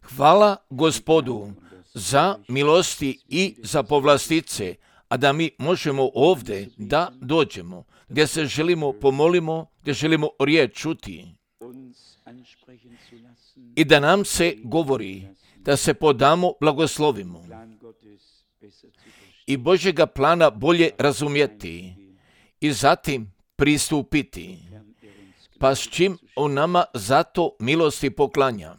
Hvala Gospodu za milosti i za povlastice, a da mi možemo ovdje da dođemo, gdje se želimo pomolimo, gdje želimo riječ čuti i da nam se govori, da se podamo blagoslovimo i Božjega plana bolje razumjeti i zatim pristupiti, pa s čim on nama zato milosti poklanja.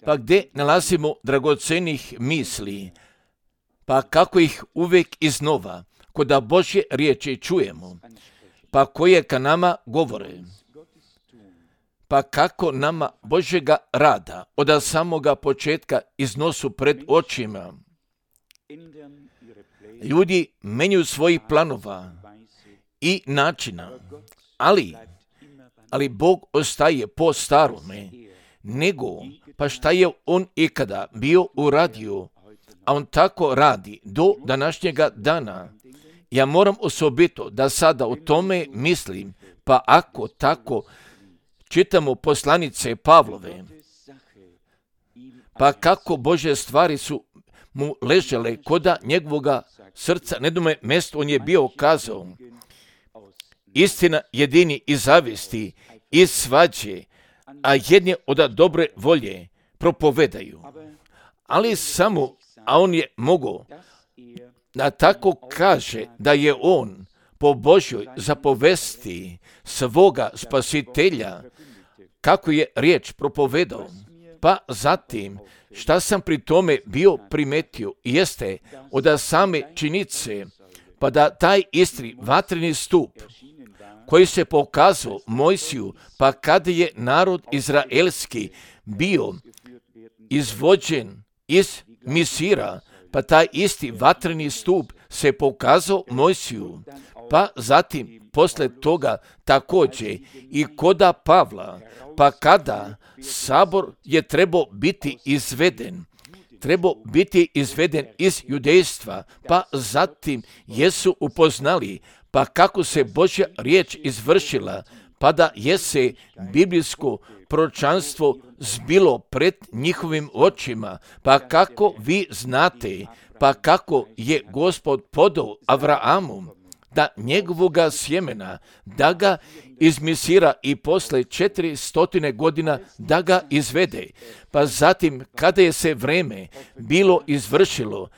Pa gdje nalazimo dragocenih misli, pa kako ih uvijek iznova, kod da Božje riječi čujemo, pa koje ka nama govore, pa kako nama Božjega rada od samoga početka iznosu pred očima. Ljudi menju svojih planova i načina, ali Bog ostaje po starome, nego pa šta je on ikada bio uradio, a on tako radi do današnjega dana. Ja moram osobito da sada o tome mislim, pa ako tako čitamo poslanice Pavlove, pa kako Božje stvari su mu ležele koda njegovoga srca, nedome mjesto on je bio kazao, istina jedini iz zavisti, iz svađe, a jedni od dobre volje propovedaju. Ali samo, a on je mogao da tako kaže da je on po Božjoj zapovesti svoga spasitelja, kako je riječ propovedao. Pa zatim, šta sam pri tome bio primetio, jeste od same činjenice, pa da taj isti vatreni stup, koji se pokazao Mojsiju, pa kada je narod izraelski bio izvođen iz Misira, pa taj isti vatreni stup se pokazao Mojsiju, pa zatim posle toga također i koda Pavla, pa kada sabor je trebao biti izveden iz judejstva, pa zatim jesu upoznali, pa kako se Božja riječ izvršila, pa da je se biblijsko proročanstvo zbilo pred njihovim očima, pa kako vi znate, pa kako je Gospod podao Avraamu da njegovoga sjemena, da ga izmisira i posle 400 godina da ga izvede. Pa zatim, kada je se vreme bilo izvršilo,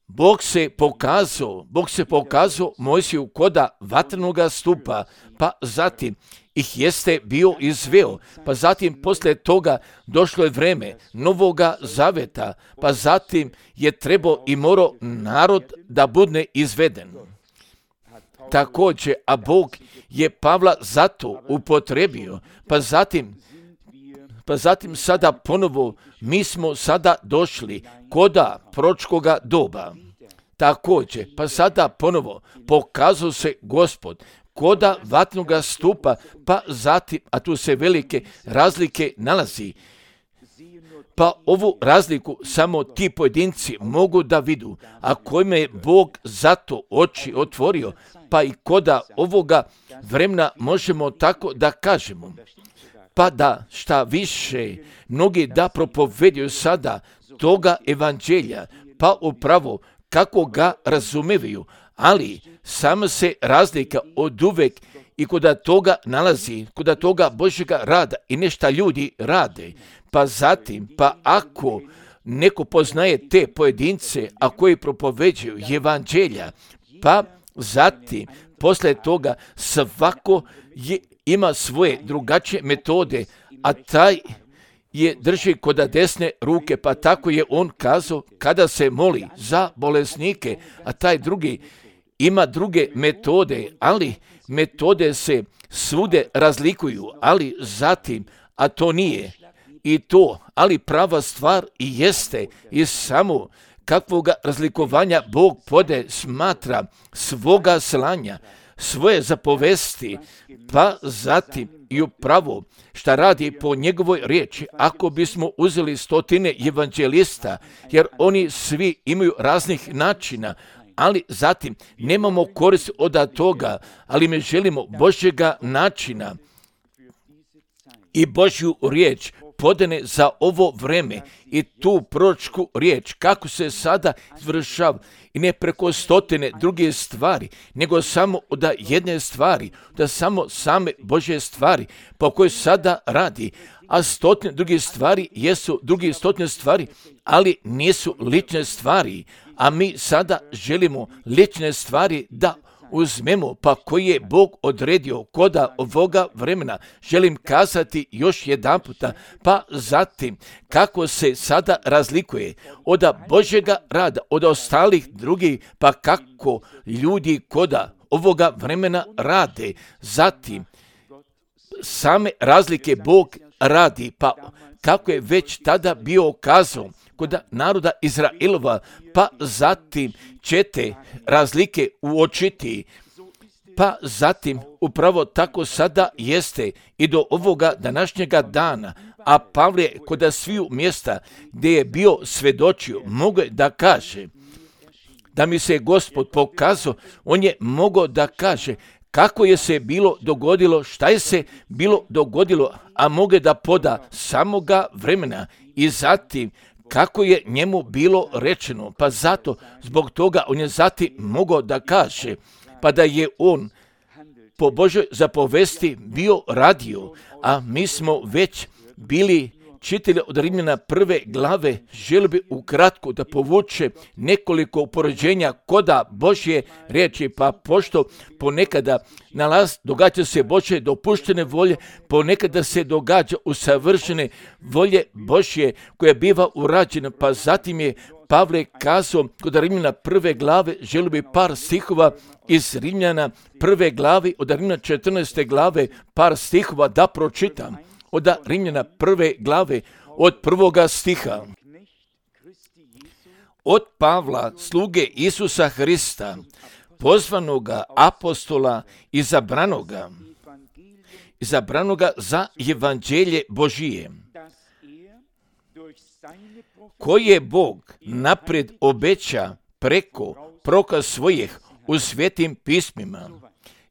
Bog se pokazao Mojsiju koda vatrenoga stupa, pa zatim ih jeste bio izveo, pa zatim posle toga došlo je vreme Novoga Zaveta, pa zatim je trebao i morao narod da bude izveden. Također, a Bog je Pavla zato upotrebio, pa zatim sada ponovo mi smo sada došli koda proročkoga doba. Također, pa sada ponovo pokazao se Gospod koda vatnoga stupa, pa zatim, a tu se velike razlike nalazi. Pa ovu razliku samo ti pojedinci mogu da vidu, a kojima je Bog zato oči otvorio, pa i koda ovoga vremena možemo tako da kažemo. Pa da šta više, mnogi da propovedaju sada toga evanđelja, pa upravo kako ga razumevaju, ali sama se razlika od uvek i koda toga nalazi, koda toga Božjega rada i nešta ljudi rade. Pa zatim, pa ako neko poznaje te pojedince, a koji propoveđuju evanđelja, pa zatim, posle toga svako ima svoje drugačije metode, a taj je drži koda desne ruke, pa tako je on kazao kada se moli za bolesnike, a taj drugi ima druge metode, ali metode se svude razlikuju, ali zatim, a to nije i to, ali prava stvar i jeste i samo kakvoga razlikovanja Bog pode smatra svoga slanja, svoje zapovesti, pa zatim i upravo šta radi po njegovoj riječi. Ako bismo uzeli 100 evanđelista, jer oni svi imaju raznih načina, ali zatim nemamo korist od toga, ali mi želimo Božjega načina i Božju riječ podane za ovo vreme i tu proročku riječ kako se sada izvršava i ne preko stotine druge stvari, nego samo od jedne stvari, da samo same Božje stvari po kojoj sada radi, a stotine druge stvari jesu druge stotine stvari, ali nisu lične stvari, a mi sada želimo lične stvari da uzmemo, pa koji je Bog odredio koda ovoga vremena. Želim kazati još jedan puta, pa zatim kako se sada razlikuje od Božjega rada, od ostalih drugih, pa kako ljudi koda ovoga vremena rade. Zatim same razlike Bog radi, pa kako je već tada bio kazao kod naroda Izraelova, pa zatim ćete razlike uočiti, pa zatim upravo tako sada jeste i do ovoga današnjega dana, a Pavle kod sviju mjesta gdje je bio svedočio, mogu da kaže, da mi se Gospod pokazao, on je mogao da kaže kako je se bilo dogodilo, šta je se bilo dogodilo, a mogu da poda samoga vremena i zatim kako je njemu bilo rečeno, pa zato, zbog toga on je zatim mogao da kaže, pa da je on po Božoj zapovesti bio radio, a mi smo već bili čitali od Rimljana 1. glave, želio bi ukratko da povuče nekoliko upoređenja koda Božje riječi, pa pošto ponekada događa se Božje dopuštene volje, ponekada se događa usavršene volje Božje koja biva urađena, pa zatim je Pavle kazao kod Rimljana 1. glave, želio bi par stihova iz Rimljana 1. glave, od Rimljana 14. glave, par stihova da pročitam. Od Rimljana 1. glave, od 1. stiha. Od Pavla, sluge Isusa Hrista, pozvanoga apostola, izabranoga za evanđelje Božije, koje Bog napred obeća preko proroka svojih u svetim pismima.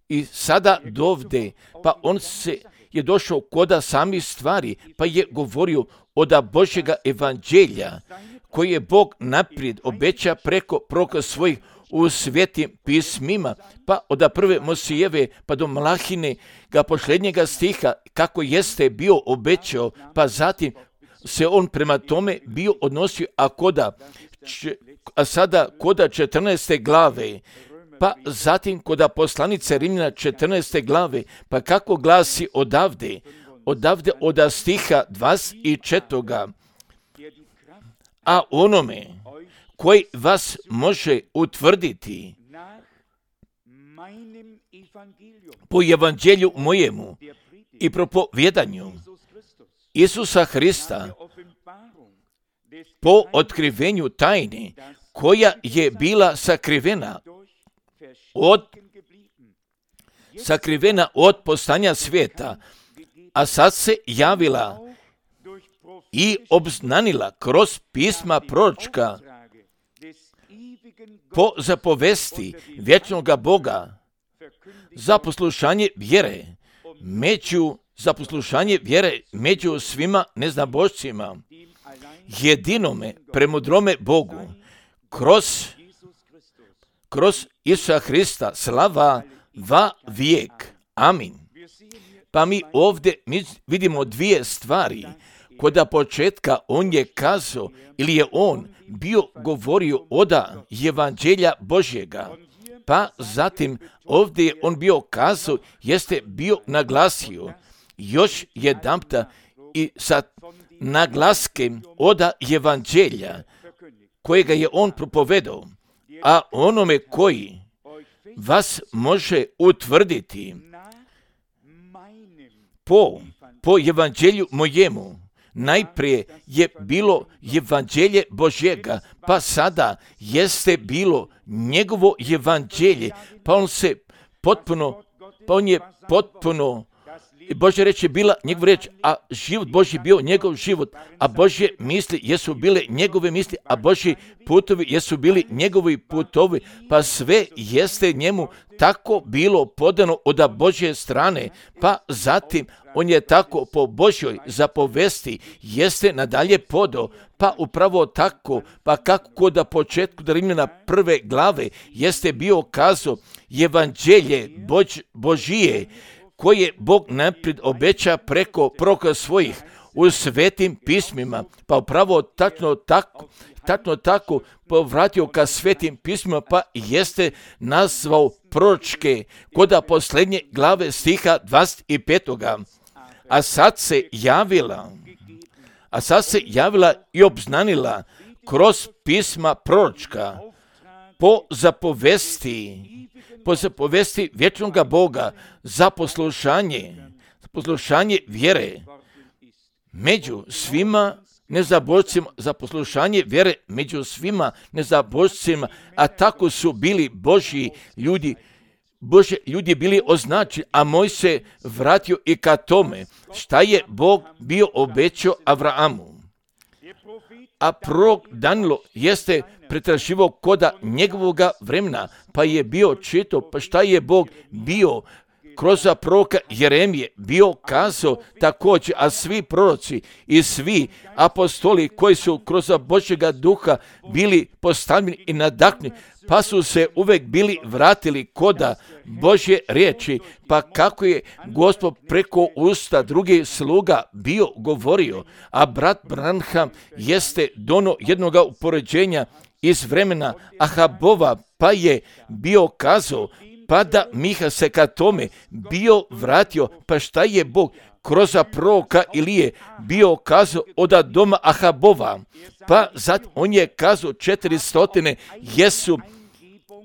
I sada dovde, pa on se je došao koda samih stvari, pa je govorio od Božjega evanđelja, koje je Bog naprijed obeća preko proroka svojih u svetim pismima, pa od prve Mosijeve pa do Malahine ga posljednjega stiha, kako jeste bio obećao, pa zatim se on prema tome bio odnosio, a sada koda 14. glave, pa zatim koda poslanice Rimljana 14. glave, pa kako glasi odavde od stiha 24. A onome koji vas može utvrditi po evanđelju mojemu i propovjedanju Isusa Hrista, po otkrivenju tajne koja je bila sakrivena od postanja svijeta, a sad se javila i obznanila kroz pisma proročka po zapovesti vječnoga Boga za poslušanje vjere među svima neznabošcima, jedinome premudrome Bogu, kroz Isusa Hrista, slava va vijek. Amin. Pa mi ovdje vidimo dvije stvari. Koda početka on je kazao, ili je on bio govorio od evanđelja Božjega, pa zatim ovdje je on bio kazao, jeste bio naglasio još jedanputa i sa naglaskem od evanđelja kojega je on propovedao, a onome koji vas može utvrditi po evanđelju mojemu. Najprije je bilo evanđelje Božjega, pa sada jeste bilo njegovo evanđelje, pa on je potpuno Božja reč je bila njegova reč, a život Božji bio njegov život, a Božje misli jesu bile njegove misli, a Božji putovi jesu bili njegovi putovi, pa sve jeste njemu tako bilo podano od Božje strane, pa zatim on je tako po Božjoj zapovesti jeste nadalje podao, pa upravo tako, pa kako kod početku Rimljana 1. glave jeste bio kazao evanđelje Božije, koje Bog naprijed obeća preko proroka svojih u svetim pismima, pa upravo tačno tako povratio ka svetim pismima, pa jeste nazvao proročke kod posljednje glave stiha 25. A sad se javila i obznanila kroz pisma proročka po zapovesti vječnoga Boga za poslušanje vjere među svima nezabožcima, za poslušanje vjere među svima nezabožcima, a tako su bili Božji ljudi bili označeni, a Moj se vratio i ka tome šta je Bog bio obećao Avrahamu. A prorok Danilo jeste pretraživao koda njegovoga vremena, pa je bio čitao, pa šta je Bog bio kroz proroka Jeremije bio kazao također, a svi proroci i svi apostoli koji su kroz Božjega duha bili postavljeni i nadahnuti, pa su se uvek bili vratili koda Božje riječi, pa kako je Gospod preko usta drugih sluga bio govorio, a brat Branham jeste dono jednoga upoređenja iz vremena Ahabova, pa je bio kazao, pa da Miha se ka tome bio vratio, pa šta je Bog kroz proroka Ilije bio kazao od doma Ahabova, pa zatim on je kazao 400 jesu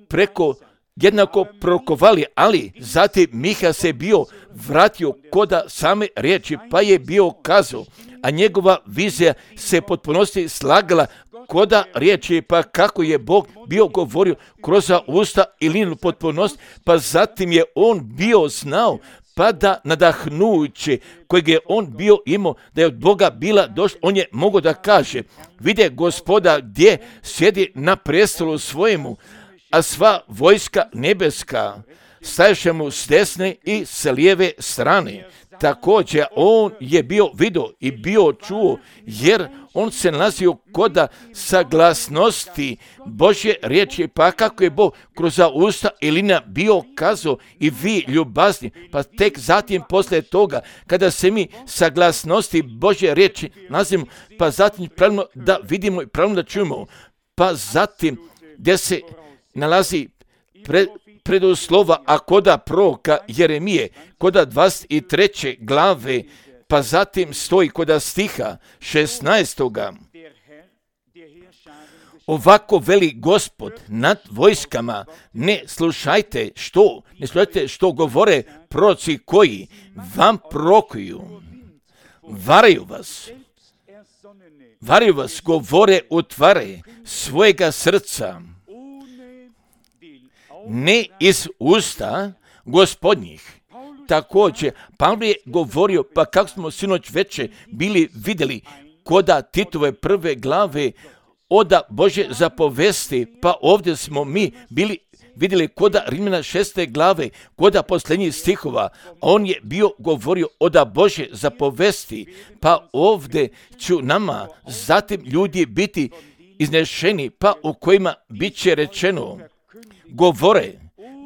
preko jednako prorokovali, ali zatim Miha se bio vratio koda same riječi, pa je bio kazao, a njegova vizija se potpunosti slagala koda riječi, pa kako je Bog bio govorio kroz usta Ilijinu potpunost, pa zatim je on bio znao, pa da nadahnujući kojeg je on bio imao, da je od Boga bila došla, on je mogao da kaže, vide Gospoda gdje sjedi na prestolu svojemu, a sva vojska nebeska staješe mu s desne i s lijeve strane. Također on je bio vidio i bio čuo, jer on se nalazio koda saglasnosti Božje riječi, pa kako je Bog kroz usta Ilina bio kazao i vi ljubazni, pa tek zatim poslije toga, kada se mi saglasnosti Božje riječi nalazimo, pa zatim pravilno da vidimo i pravilno da čujemo, pa zatim gdje se nalazi preduslova, a koda proroka Jeremije, koda 23. glave, pa zatim stoji koda stiha 16. Ovako veli Gospod nad vojskama, ne slušajte što govore proroci koji vam prorokuju, varaju vas, govore utvare svojega srca, ne iz usta gospodnjih. Također, Pavle je govorio, pa kako smo sinoć veče bili vidjeli koda Titove 1. glave od Božje zapovesti, pa ovdje smo mi bili vidjeli koda Rimljana 6. glave, koda posljednjih stihova, on je bio govorio od Božje zapovesti, pa ovdje ću nama zatim ljudi biti iznešeni, pa u kojima bit će rečeno,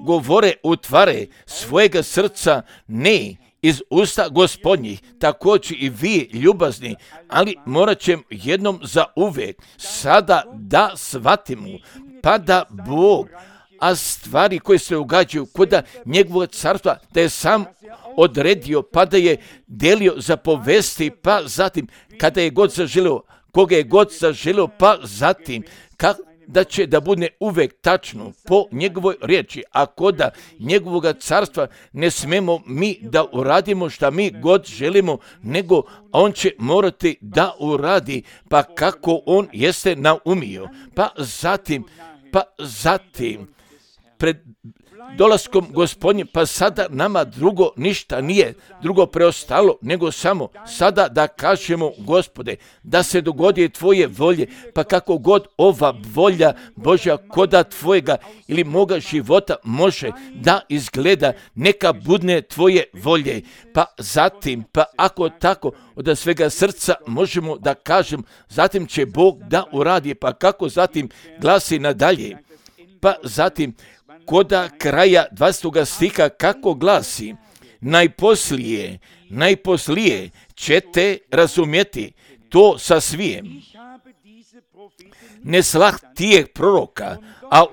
govore utvare svojega srca, ne iz usta gospodnjih. Također i vi ljubazni, ali morat ćemo jednom za uvijek sada da shvatimo, pa da Bog, a stvari koje se događaju koda njegovog carstva, da je sam odredio, pa da je delio zapovesti, pa zatim kada je god zaželio, koga je god zaželio, pa zatim da će da bude uvek tačno po njegovoj riječi, a koda njegovog carstva ne smemo mi da uradimo šta mi god želimo, nego on će morati da uradi, pa kako on jeste naumio. Pa zatim dolaskom Gospodnjim, pa sada nama drugo ništa nije drugo preostalo, nego samo sada da kažemo, Gospode, da se dogodi tvoje volje, pa kako god ova volja Božja koda tvojega ili moga života može da izgleda, neka budne tvoje volje. Pa zatim, pa ako tako od svega srca možemo da kažem, zatim će Bog da uradi, pa kako zatim glasi nadalje. Pa zatim, koda kraja 20. stiha kako glasi, najposlije ćete razumjeti to sa svijem. Ne slah tijeh proroka, a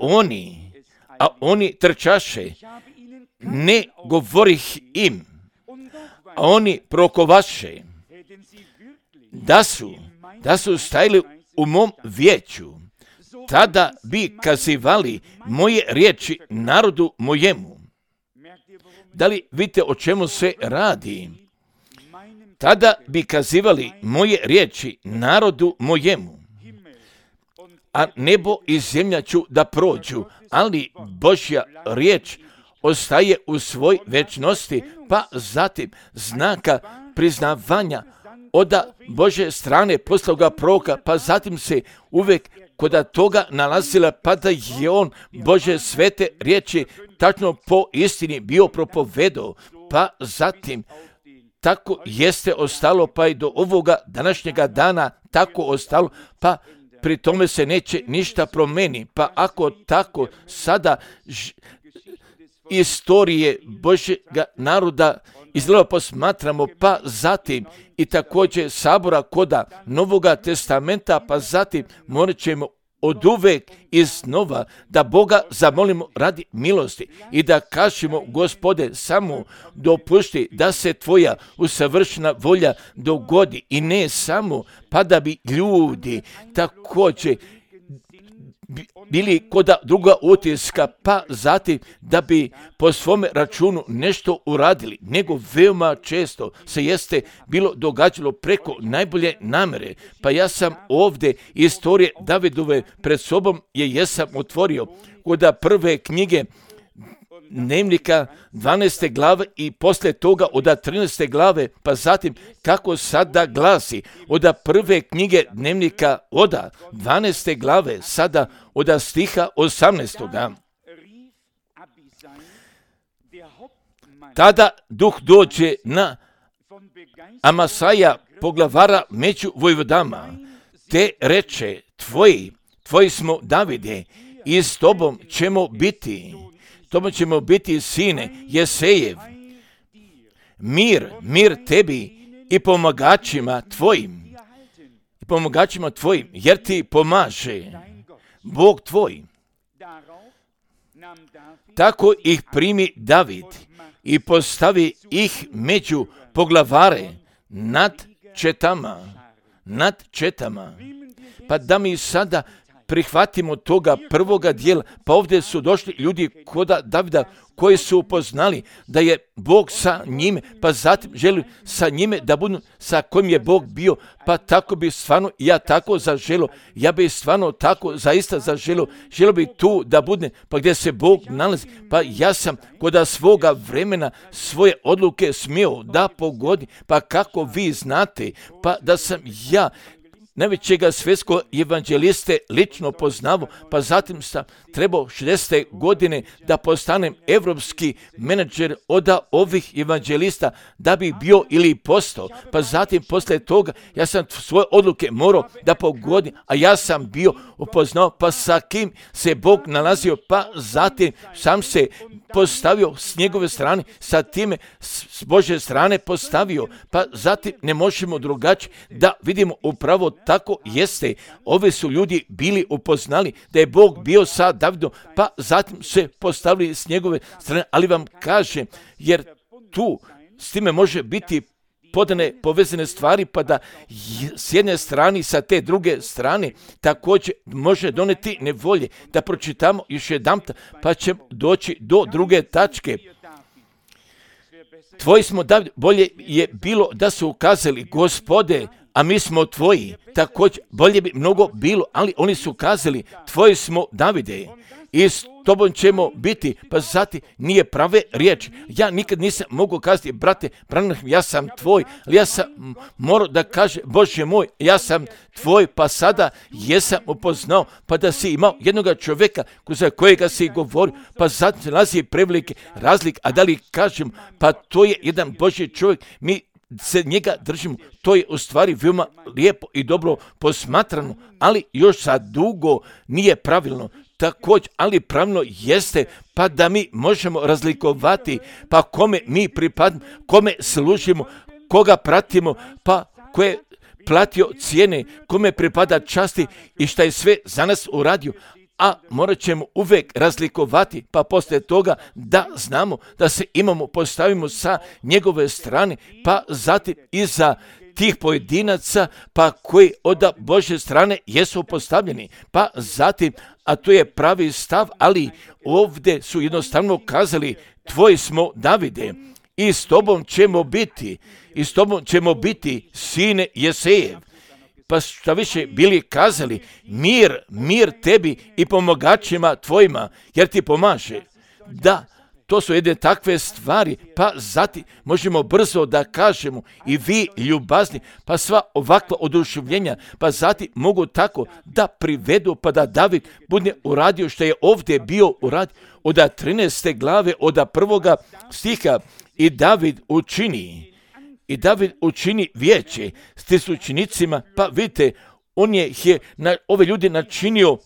oni trčaše, ne govorih im, a oni prokovaše, da su stajali u mom vijeću, tada bi kazivali moje riječi narodu mojemu. Da li vidite o čemu se radi? Tada bi kazivali moje riječi narodu mojemu. A nebo i zemlja ću da prođu, ali Božja riječ ostaje u svoj večnosti, pa zatim znaka priznavanja od Božje strane posloga proroka, pa zatim se uvijek kod toga nalazila, pa da je on Božje svete riječi tačno po istini bio propovedao, pa zatim tako jeste ostalo, pa i do ovoga današnjega dana tako ostalo, pa pri tome se neće ništa promeni. Pa ako tako sada istorije Božjega naroda izgleda posmatramo, pa zatim i također sabora koda Novoga testamenta, pa zatim morat ćemo od uvek iznova da Boga zamolimo radi milosti i da kažemo, Gospode, samo dopušti da se tvoja usavršena volja dogodi, i ne samo pa da bi ljudi također bili kod druga utiska, pa zatim da bi po svome računu nešto uradili, nego veoma često se jeste bilo događalo preko najbolje namere. Pa ja sam ovdje istorije Davidove pred sobom jesam otvorio kod prve knjige Dnevnika 12. glave i poslije toga od 13. glave, pa zatim kako sada glasi od prve knjige Dnevnika od 12. glave, sada od stiha 18. Tada duh dođe na Amasaja, poglavara među vojvodama, te reče, tvoji smo, Davide, i s tobom ćemo biti, sine Jesejev, mir tebi i pomagačima tvojim, jer ti pomaže Bog tvoj. Tako ih primi David i postavi ih među poglavare nad četama. Pa da mi sada prihvatimo toga prvoga dijela, pa ovdje su došli ljudi kod Davida koji su upoznali da je Bog sa njime, pa zatim želi sa njime da budu sa kojim je Bog bio, pa tako bi stvarno ja tako zaželio, ja bi stvarno tako zaista zaželio, želio bi tu da bude, pa gdje se Bog nalazi, pa ja sam kod svoga vremena svoje odluke smio da pogodi, pa kako vi znate, pa da sam ja najvećega svjetskog evanđeliste lično poznavao, pa zatim sam trebao 60. godine da postanem evropski menadžer od ovih evanđelista da bi bio ili postao, pa zatim poslije toga ja sam svoje odluke morao da pogodim, a ja sam bio upoznao pa sa kim se Bog nalazio, pa zatim sam se postavio s njegove strane, sa time s Božje strane postavio, pa zatim ne možemo drugačije da vidimo upravo tako jeste. Ovi su ljudi bili upoznali da je Bog bio sa Davidom, pa zatim se postavili s njegove strane, ali vam kažem, jer tu s time može biti podane povezane stvari, pa da s jedne strane sa te druge strane također može doneti nevolje. Da pročitamo još jedanput, pa ćemo doći do druge tačke. Tvoji smo, David, bolje je bilo da su ukazali, Gospode, a mi smo tvoji. Također, bolje bi mnogo bilo, ali oni su kazali, tvoji smo, Davide. i s tobom ćemo biti. Pa zatim nije prave riječi. Ja nikad nisam mogao kazati, brate Branham, ja sam tvoj, ali ja sam morao da kaže, Bože moj, ja sam tvoj, pa sada jesam upoznao, pa da si imao jednoga čovjeka za kojega si govorio, pa zatim se nalazi prevelike razlike, a da li kažem, pa to je jedan Božji čovjek, mi se njega držimo, to je u stvari veoma lijepo i dobro posmatrano, ali još za dugo nije pravilno. Također, ali pravilno jeste, pa da mi možemo razlikovati, pa kome mi pripadamo, kome služimo, koga pratimo, pa ko je platio cijene, kome pripada časti i šta je sve za nas uradio. A morat ćemo uvijek razlikovati, pa poslije toga da znamo da se postavimo sa njegove strane, pa zatim iza tih pojedinaca, pa koji od Božje strane jesu postavljeni, pa zatim, a to je pravi stav, ali ovdje su jednostavno kazali, tvoj smo Davide, i s tobom ćemo biti, sine Jesejev. Pa šta više bili kazali, mir tebi i pomagačima tvojima, jer ti pomaže. Da, to su jedne takve stvari, pa zatim možemo brzo da kažemo i vi ljubazni, pa sva ovakva oduševljenja, pa zatim mogu tako da privedu, pa da David bude uradio što je ovdje bio uradio od 13. glave, od 1. stiha, i David učini vijeće s učenicima, pa vidite, on je ove ljude načinio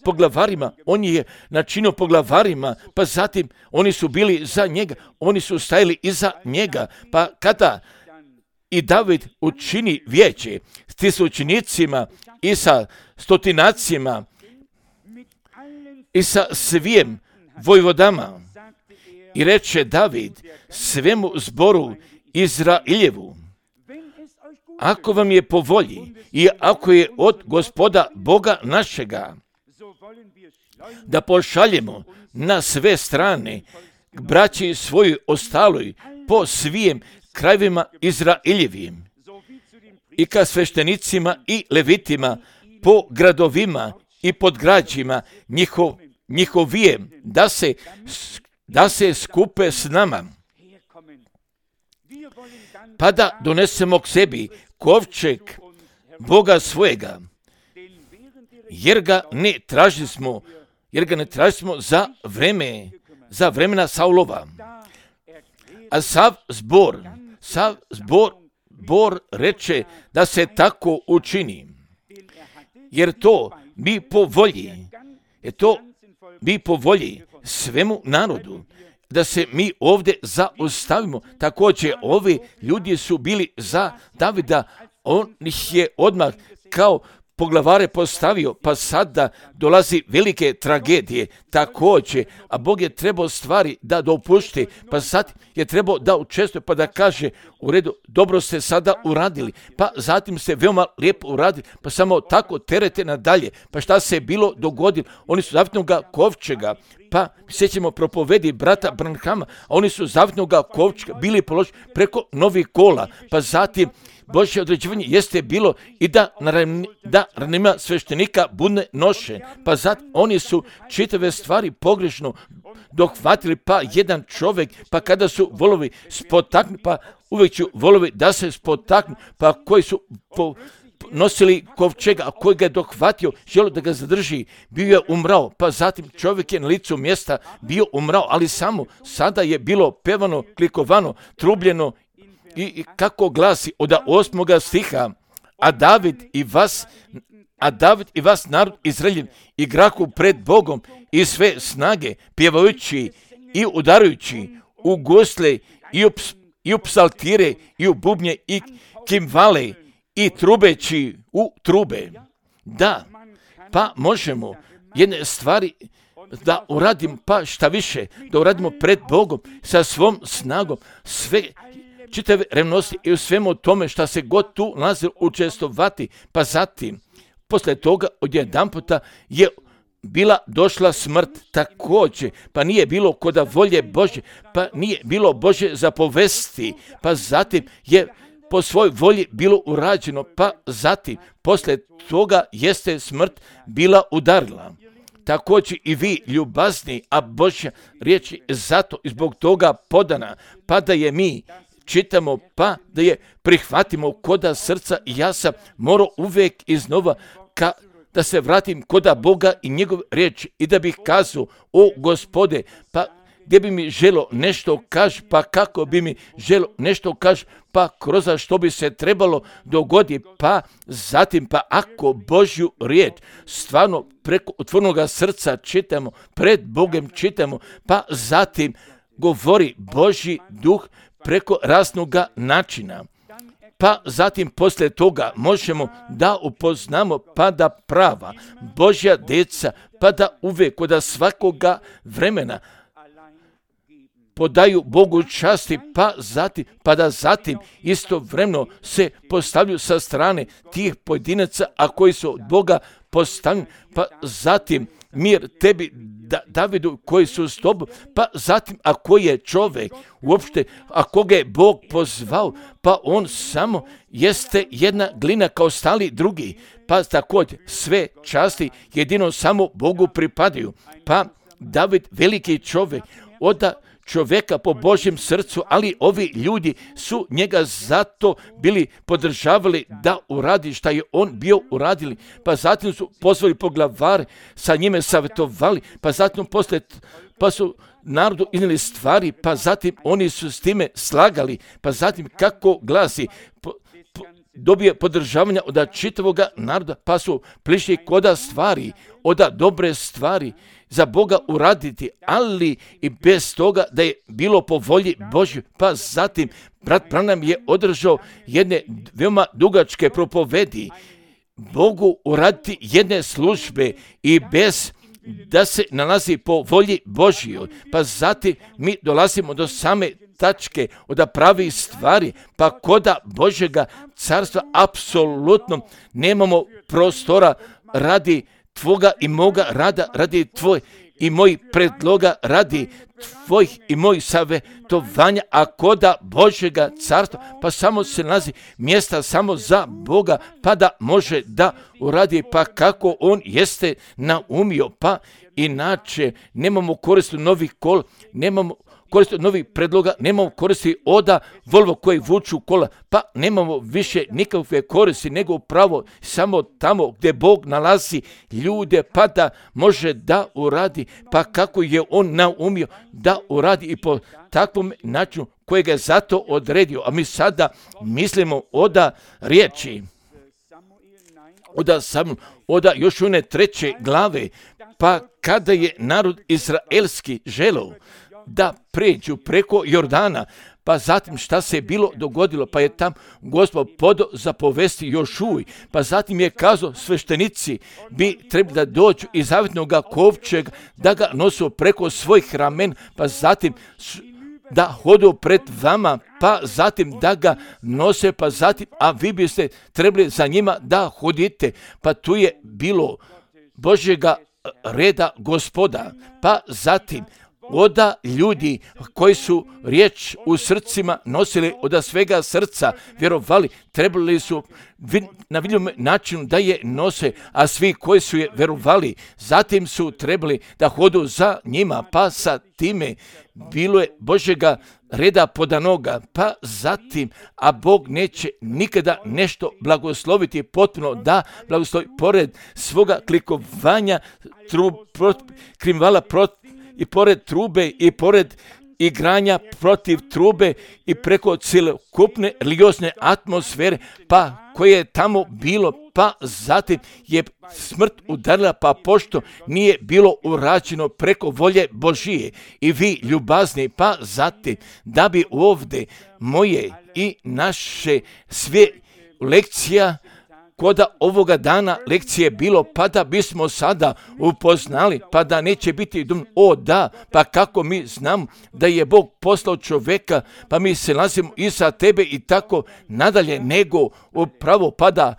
poglavarima, pa zatim oni su bili za njega, oni su stajali iza njega, pa kada i David učini vijeće s učenicima i sa stotinacima i sa svim vojvodama, i reče David svemu zboru Izraeljevu, ako vam je po volji i ako je od Gospoda Boga našega, da pošaljemo na sve strane k braći svojoj ostaloj po svim krajevima Izraeljevim i ka sveštenicima i levitima po gradovima i podgrađima njihovijem, da se skupe s nama, pa da donesemo k sebi kovčeg Boga svojega, jer ga ne tražimo za vremena Saulova. A sav zbor reče da se tako učini, jer to bi po volji svemu narodu, da se mi ovdje zaustavimo. Također, ovi ljudi su bili za Davida, on ih je odmah kao poglavare postavio, pa sada dolazi velike tragedije također, a Bog je trebao stvari da dopušti, pa sad je trebao da učestvuje, pa da kaže, u redu, dobro ste sada uradili, pa zatim ste veoma lijepo uradili, pa samo tako terete nadalje. Pa šta se je bilo dogodilo? Oni su zavitnoga kovčega, pa sjećamo propovedi brata Branhama, a oni su zavitnoga kovčega bili položeni preko novih kola, pa zatim Božje određivanje jeste bilo i da ranima sveštenika budne noše, pa zatim oni su čitave stvari pogrešno dohvatili, pa jedan čovjek, pa kada su volovi spotaknu, pa uvijek ću volovi da se spotaknu, pa koji su nosili kovčega, a koji ga je dohvatio, želio da ga zadrži, bio je umrao, pa zatim čovjek je na licu mjesta bio umrao, ali samo sada je bilo pevano, klikovano, trubljeno i kako glasi od 8. stiha, a David i vas narod Izraeljev igraku pred Bogom i sve snage, pjevajući i udarajući u gusle i u psaltire i u bubnje i kimvale i trubeći u trube. Da, pa možemo jedne stvari da uradimo, pa šta više, da uradimo pred Bogom sa svom snagom, sve čitave revnosti i u svemu tome šta se god tu nalazi učestvovati, pa zatim, poslije toga odjedanputa je bila došla smrt također, pa nije bilo koda volje Božje, pa nije bilo Božje zapovesti, pa zatim je po svojoj volji bilo urađeno, pa zatim, poslije toga jeste smrt bila udarila. također i vi ljubazni, a Božja riječ je zato i zbog toga podana, pa da je mi čitamo, pa da je prihvatimo koda srca. I ja sam morao uvijek iznova da se vratim koda Boga i njegov riječ i da bih kazao, o Gospode, pa gdje bi mi želo nešto kaži, pa kako bi mi želo nešto kaži, pa kroz što bi se trebalo dogoditi, pa zatim, pa ako Božju riječ stvarno preko otvorenoga srca čitamo, pred Bogom čitamo, pa zatim govori Božji duh preko raznoga načina. Pa zatim poslije toga možemo da upoznamo pa da prava Božja djeca, pa da uvijek od svakoga vremena podaju Bogu časti, pa da zatim istovremeno se postavljaju sa strane tih pojedinaca, a koji su od Boga postavljeni, pa zatim mir tebi Davidu koji su s tobom, pa zatim ako je čovjek uopšte, ako ga je Bog pozvao, pa on samo jeste jedna glina kao stali drugi, pa također sve časti jedino samo Bogu pripadaju. Pa David veliki čovjek, od čovjeka po Božjem srcu, ali ovi ljudi su njega zato bili podržavali da uradi šta je on bio uradili, pa zatim su pozvali poglavare, sa njime savjetovali, pa zatim pa su narodu iznijeli stvari, pa zatim oni su s time slagali, pa zatim kako glasi, dobije podržavanja od čitavoga naroda, pa su prišli koda stvari, od dobre stvari za Boga uraditi, ali i bez toga da je bilo po volji Božju. Pa zatim brat Branham je održao jedne veoma dugačke propovedi, Bogu uraditi jedne službe i bez da se nalazi po volji Božjoj. Pa zatim mi dolazimo do same tačke od pravih stvari, pa koda Božjega carstva apsolutno nemamo prostora radi tvoga i moga rada, radi tvoj i moj predloga, radi tvojih i mojih savjetovanja, a koda Božjega carstva, pa samo se nalazi mjesta samo za Boga, pa da može da uradi, pa kako on jeste naumio, pa inače nemamo koristi novih kola, nemamo koristi novih predloga, nemamo koristi oda Volvo koji vuču kola, pa nemamo više nikakve koristi nego upravo samo tamo gdje Bog nalazi ljude, pa da može da uradi, pa kako je on naumio da uradi i po takvom načinu kojeg je zato odredio. A mi sada mislimo oda riječi, oda još one 3. glave, pa kada je narod izraelski želeo da pređu preko Jordana, pa zatim šta se je bilo dogodilo, pa je tam Gospod podao zapovesti Jošuji, pa zatim je kazao sveštenici bi trebali da dođu iz zavjetnog kovčega, da ga nosu preko svojih ramen, pa zatim da hodu pred vama, pa zatim da ga nose, pa zatim, a vi biste trebali za njima da hodite, pa tu je bilo Božjega reda Gospoda, pa zatim oda ljudi koji su riječ u srcima nosili od svega srca, vjerovali, trebali su na vidljivom načinu da je nose, a svi koji su je vjerovali, zatim su trebali da hodu za njima, pa sa time bilo je Božjega reda podanoga, pa zatim, a Bog neće nikada nešto blagosloviti potpuno da blagoslovi pored svoga klikovanja, krimvala i pored trube i pored igranja protiv trube i preko cjelokupne religiozne atmosfere, pa koje je tamo bilo, pa zatim je smrt udarila, pa pošto nije bilo urađeno preko volje Božije i vi ljubazni, pa zatim da bi ovdje moje i naše sve lekcija koda ovoga dana lekcije bilo, pa da bismo sada upoznali, pa da neće biti o da, pa kako mi znamo da je Bog poslao čovjeka, pa mi se nalazimo iza tebe i tako nadalje, nego upravo pa da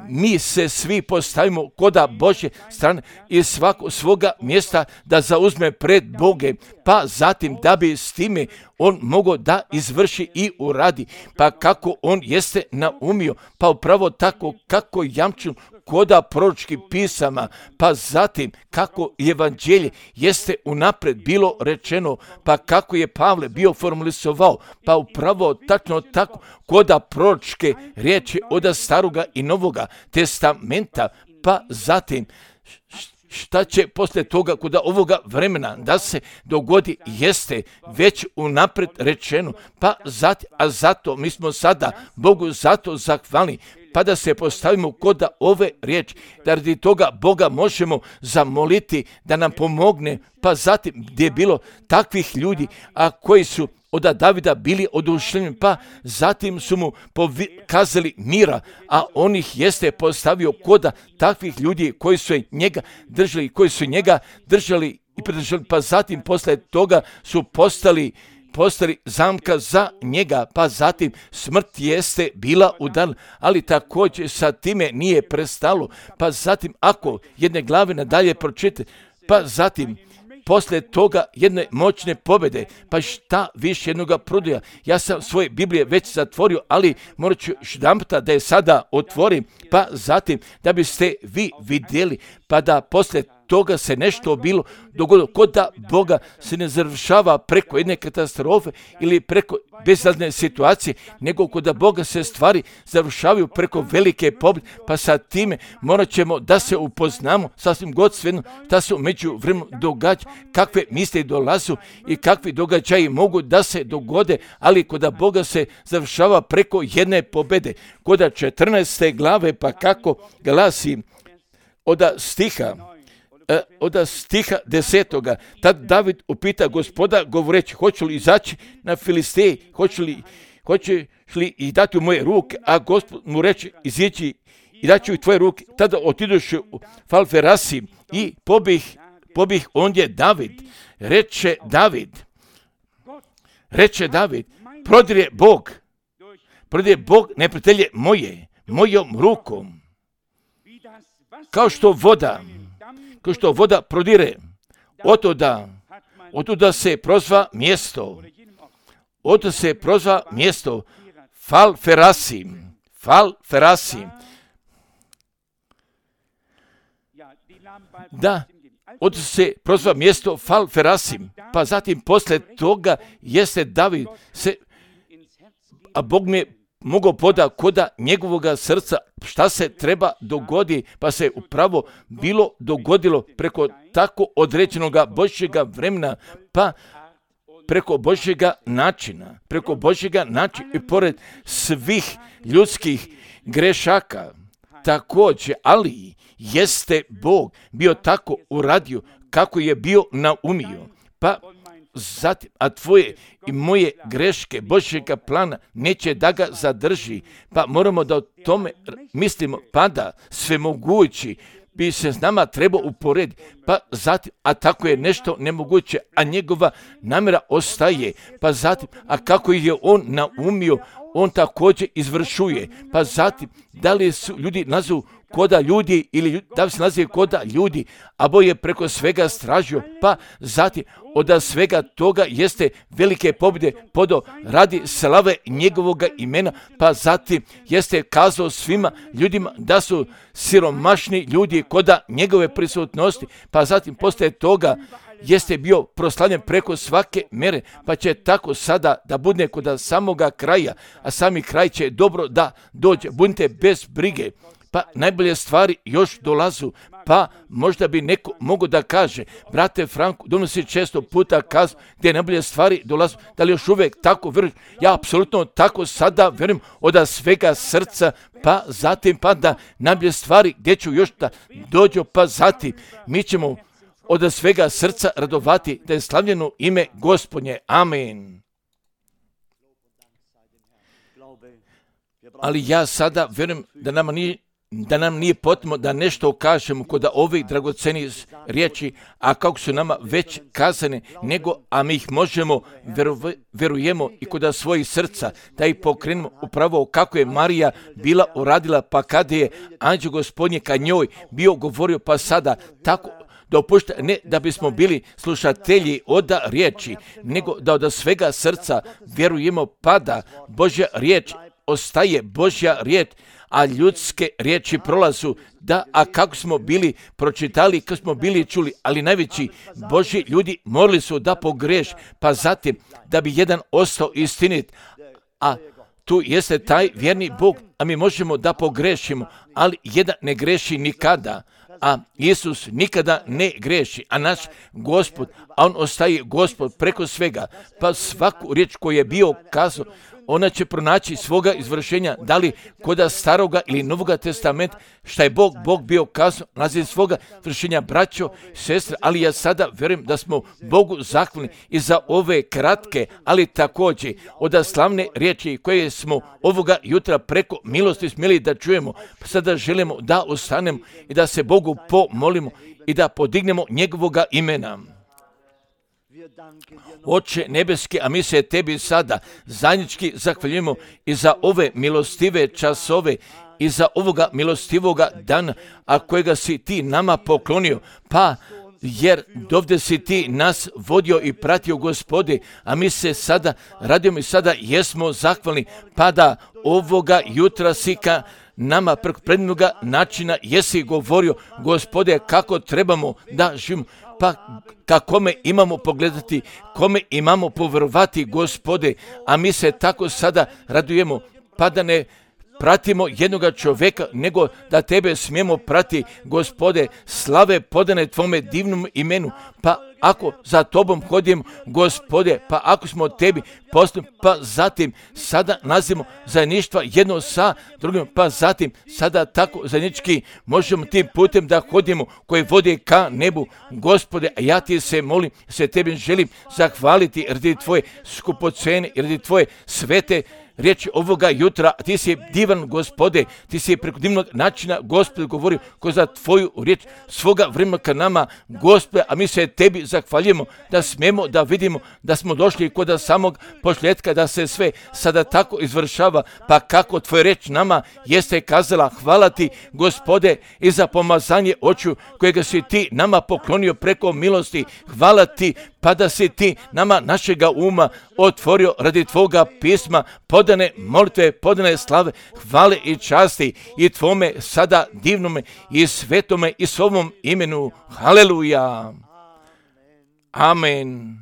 mi se svi postavimo koda Božje strane i svako svoga mjesta da zauzme pred Boge, pa zatim da bi s time on mogao da izvrši i uradi, pa kako on jeste naumio, pa upravo tako kako jamču koda proročkih pisama, pa zatim kako evanđelje jeste unapred bilo rečeno, pa kako je Pavle bio formalisovao, pa upravo tačno tako koda proročke riječi od Staroga i Novoga testamenta, pa zatim šta će poslije toga kod ovoga vremena da se dogodi jeste već unapred rečeno, pa zato mi smo sada Bogu zato zahvalni, pa da se postavimo kod ove riječi, da radi toga Boga možemo zamoliti da nam pomogne, pa zatim gdje je bilo takvih ljudi, a koji su od Davida bili oduševljeni, pa zatim su mu kazali mira, a on ih jeste postavio kod takvih ljudi koji su njega držali i pridržali, pa zatim posle toga su postali zamka za njega, pa zatim smrt jeste bila udarna, ali također sa time nije prestalo, pa zatim ako jedne glave nadalje pročite, pa zatim poslije toga jedne moćne pobjede, pa šta više jednoga prodaja. Ja sam svoje Biblije već zatvorio, ali morat ću jedanputa da je sada otvorim, pa zatim da biste vi vidjeli, pa da poslije toga se nešto bilo dogodilo, kod da Boga se ne završava preko jedne katastrofe ili preko bezazne situacije, nego kod da Boga se stvari završavaju preko velike pobjede, pa sa time morat ćemo da se upoznamo sasvim god svejedno šta se među vremenom događa, kakve misli dolazu i kakvi događaji mogu da se dogode, ali kod da Boga se završava preko jedne pobjede. Kod 14. glave, pa kako glasi od stiha 10. Tad David upita Gospoda govoreći, hoću li izaći na Filisteji, hoćeš li ih dati u moje ruke, a Gospod mu reče, izići i daću u tvoje ruke. Tada otidoše u Falferasi i pobih ondje David. Reče David, prodire Bog neprijatelje mojom rukom. Kao što voda prodire, otuda se prozva mjesto Falferasi. Da, od se prozva mjesto Falferasi, pa zatim poslije toga jeste David a Bog mi je mogao poda koda njegovoga srca šta se treba dogodi, pa se upravo bilo dogodilo preko tako određenoga Božjega vremena, pa preko Božjega načina i pored svih ljudskih grešaka. Također, ali jeste Bog bio tako uradio kako je bio naumio, pa zatim, a tvoje i moje greške Božjega plana neće da ga zadrži, pa moramo da o tome mislimo, pa da svemogući bi se s nama trebao uporediti, pa zatim, a tako je nešto nemoguće, a njegova namjera ostaje, pa zatim, a kako je on naumio, on također izvršuje, pa zatim, da li su ljudi nazovu koda ljudi ili da li se nazive koda ljudi, a Bog je preko svega stražio, pa zatim od svega toga jeste velike pobjede podo radi slave njegovoga imena, pa zatim jeste kazao svima ljudima da su siromašni ljudi koda njegove prisutnosti, pa zatim poslije toga jeste bio proslavljen preko svake mere, pa će tako sada da bude kod samoga kraja, a sami kraj će dobro da dođe, budite bez brige. Pa najbolje stvari još dolazu, pa možda bi neko mogao da kaže, brate Franko, donosi često puta kazu gdje najbolje stvari dolazu, da li još uvijek tako vjeruješ? Ja apsolutno tako sada vjerujem od svega srca, pa zatim pa da najbolje stvari gdje ću još da dođu, pa zatim mi ćemo od svega srca radovati da je slavljeno ime Gospodnje. Amen. Ali ja sada vjerujem da nam nije potrebno da nešto kažemo kod ovih dragocenih riječi, a kako su nama već kazane, a mi ih možemo, vjerujemo i kod svojih srca, da ih pokrenemo upravo kako je Marija bila uradila, pa kada je anđeo Gospodnje ka njoj bio govorio, pa sada tako dopušta, ne da bismo bili slušatelji od riječi, nego da od svega srca vjerujemo, pa da Božja riječ ostaje Božja riječ, a ljudske riječi prolazu, da, a kako smo bili pročitali, kako smo bili čuli, ali najveći Božji ljudi morali su da pogreš, pa zatim da bi jedan ostao istinit, a tu jeste taj vjerni Bog, a mi možemo da pogrešimo, ali jedan ne greši nikada, a Isus nikada ne greši, a naš Gospod, a on ostaje Gospod preko svega, pa svaku riječ koju je bio kazao, ona će pronaći svoga izvršenja, da li koda staroga ili novoga testamenta, šta je Bog bio kazao, nalazi svoga izvršenja, braćo, sestre, ali ja sada vjerujem da smo Bogu zahvalni i za ove kratke, ali također od slavne riječi koje smo ovoga jutra preko milosti smjeli da čujemo, pa sada želimo da ostanemo i da se Bogu pomolimo i da podignemo njegovoga imena. Oče nebeski, a mi se tebi sada zajednički zahvaljujemo i za ove milostive časove i za ovoga milostivoga dana, a kojega si ti nama poklonio, pa jer dovde si ti nas vodio i pratio, Gospode, a mi se sada radimo i sada jesmo zahvalni, pa da ovoga jutra si ka nama preko predivnoga načina jesi govorio, Gospode, kako trebamo da živimo, pa ka kome imamo pogledati, kome imamo povjerovati, Gospode, a mi se tako sada radujemo, pa da ne pratimo jednoga čovjeka, nego da tebe smijemo prati, Gospode, slave podane tvome divnom imenu, pa ako za tobom hodimo, Gospode, pa ako smo tebi postupili, pa zatim sada nazimo zajedništva jedno sa drugim, pa zatim sada tako zajednički možemo tim putem da hodimo koji vode ka nebu, Gospode, a ja ti se molim, se tebi želim zahvaliti radi tvoje skupocene i radi tvoje svete riječi ovoga jutra, ti si divan, Gospode, ti si preko divnog načina, Gospode, govorio ko za tvoju riječ svoga vremena ka nama, Gospode, a mi se tebi zahvaljujemo da smemo da vidimo da smo došli kod samog početka, da se sve sada tako izvršava, pa kako tvoja riječ nama jeste kazala, hvala ti, Gospode, i za pomazanje očiju kojega si ti nama poklonio preko milosti, hvala ti, pa da si ti nama našega uma otvorio radi tvoga pisma, podane molitve, podane slave, hvale i časti i tvome sada divnome i svetome i svovom imenu. Haleluja. Amen.